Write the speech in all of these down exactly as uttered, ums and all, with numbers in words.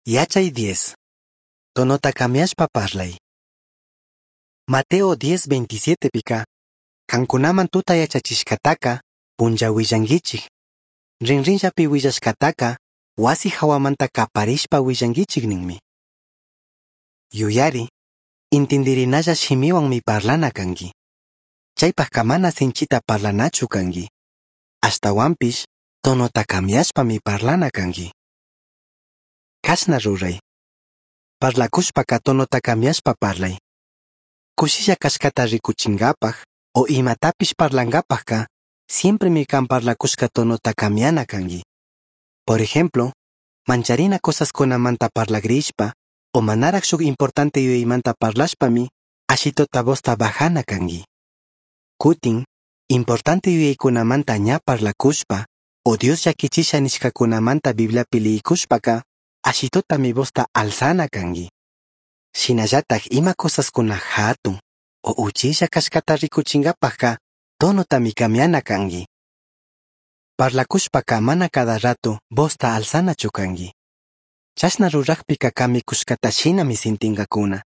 Yachai diez. Tonota cambiashpa parlai. Mateo diez veintisiete pika, kankunaman tuta yachachishkataka, punlla willanguichik. Rinrinllapi willashkataka, wasi hawamanta kaparishpa willanguichik ninmi. Yuyari, intindirinalla shimiwanmi parlana kanki. Chaypajka mana sinchita parlanachu kanki. Ashtawanpish, tonota cambiashpami parlana kanki. Kashna ruray. Parlakushpaka tonota cambiashpa parlay. Kushilla kashkata rikuchinkapaj o imatapish parlankapajka, siempremi kan parlakushka tonota cambiana kanki. Por ejemplo, mancharina cosaskunamanta parlagrishpa o manaraj shuk importante yuyaymanta parlashpami ashitota vozta bajana kanki. Kutin, importante yuyaykunamanta ña parlakushpa o Dios llakichisha nishkakunamanta Bibliapi liyikushpaka, ashitotami vozta alzana kanki. Shinallataj ima cosaskuna hatun o uchilla kashkata rikuchinkapajka tonotami cambiana kanki. Parlakushpaka mana cada rato vozta alzanachu kanki. Chashna rurajpika kamikushkata shinami sintinkakuna.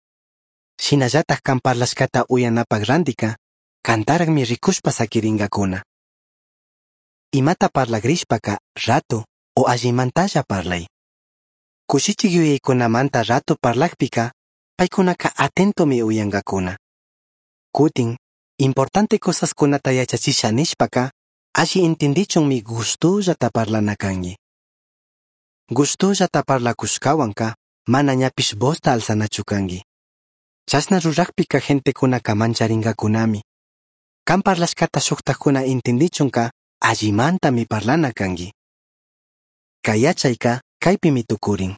Shinallataj kan parlashkata uyanapak randika, kantarajmi rikushpa sakirinkakuna. Imata parlagrishpaka rato o allimantalla parlay. Kushichik yuyaykunamanta rato parlajpika, paykunaka atentomi uyankakuna. Kutin, importante cosaskunata yachachisha nishpaka, alli intindichunmi gustullata parlana kanki. Gustullata parlakushkawanka, mana ñapish vozta alzanachu kanki. Chashna rurajpika gentekunaka mancharinkakunami. Kan parlashkata shuktajkuna intindichunka, allimantami parlana kanki. Kay yachayka kaypimi tukurin.